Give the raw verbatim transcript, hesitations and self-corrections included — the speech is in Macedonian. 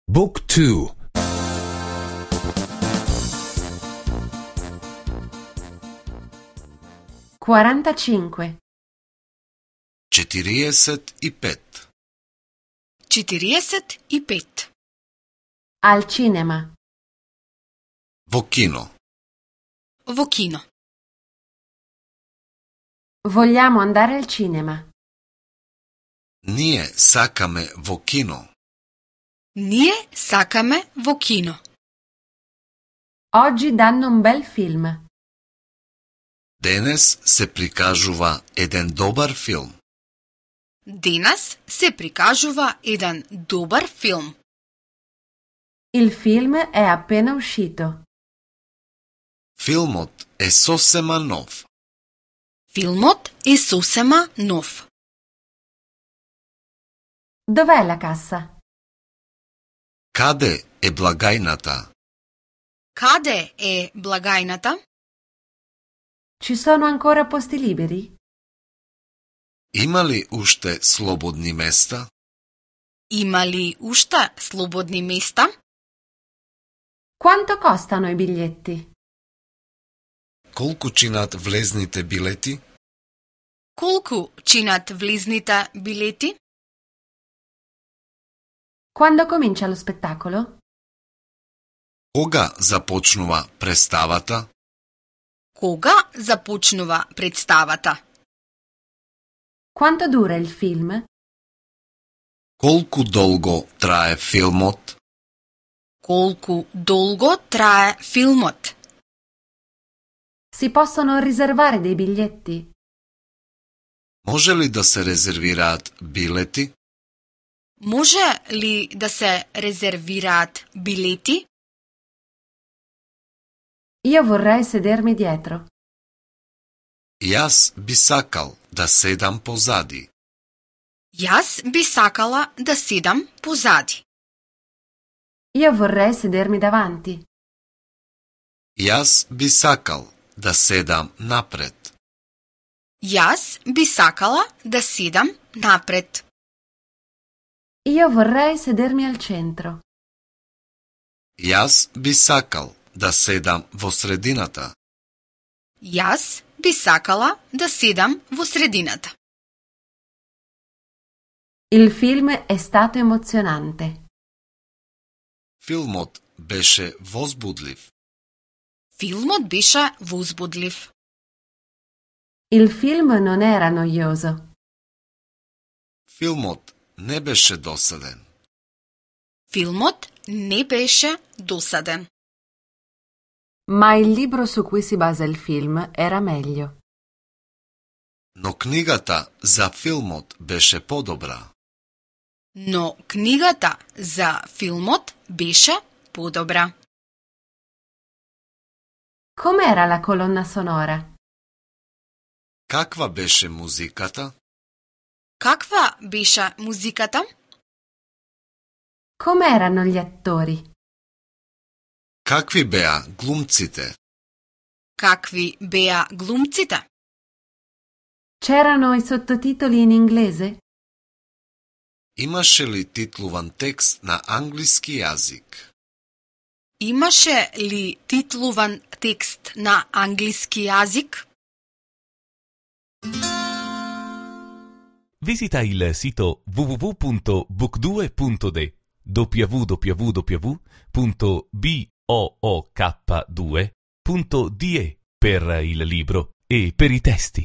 Book two. quarantacinque. четириесет и пет. четириесет и пет. Al cinema. Во кино. Во кино. Vogliamo andare al cinema. Ние сакаме во кино. Ние сакаме во кино. Oggi danno un bel film. Денес се прикажува еден добар филм. Денес се прикажува еден добар филм. Il film è appena uscito. Филмот е сосема нов. Филмот е сосема нов. Dov'è la cassa? Каде е благајната? Каде е благајната? Ci sono ancora posti liberi? Има ли уште слободни места? Има ли уште слободни места? Quanto costano i biglietti? Колку чинат влезните билети? Колку чинат влезните билети? Quando comincia lo spettacolo? Кога започнува представата? Кога започнува представата? Quanto dura il film? Колку долго трае филмот? Колку долго трае филмот? Si possono riservare dei biglietti? Може ли да се резервираат билети? Може ли да се резервираат билети? Io vorrei sedermi dietro. Јас би сакал да седам позади. Јас би сакала да седам позади. Io vorrei sedermi davanti. Јас би сакал да седам напред. Јас би сакала да седам напред. Io vorrei sedermi al centro. Јас би сакал да седам во средината. Јас би сакала да седам во средината. Il film è stato emozionante. Филмот беше возбудлив. Филмот беше возбудлив. Il film non era noioso. Филмот не беше досаден. Филмот не беше досаден. Ma il libro su cui si basa il film era meglio. Но книгата за филмот беше подобра. Но книгата за филмот беше подобра. Com'era la colonna sonora? Каква беше музиката? Каква беше музиката? Com'erano gli attori? Какви беа глумците? Какви беа глумците? C'erano i sottotitoli in inglese? Имаше ли титлуван текст на англиски јазик? Имаше ли титлуван текст на англиски јазик? Visita il sito w w w punto book due punto d w w w punto book due punto d e per il libro e per i testi.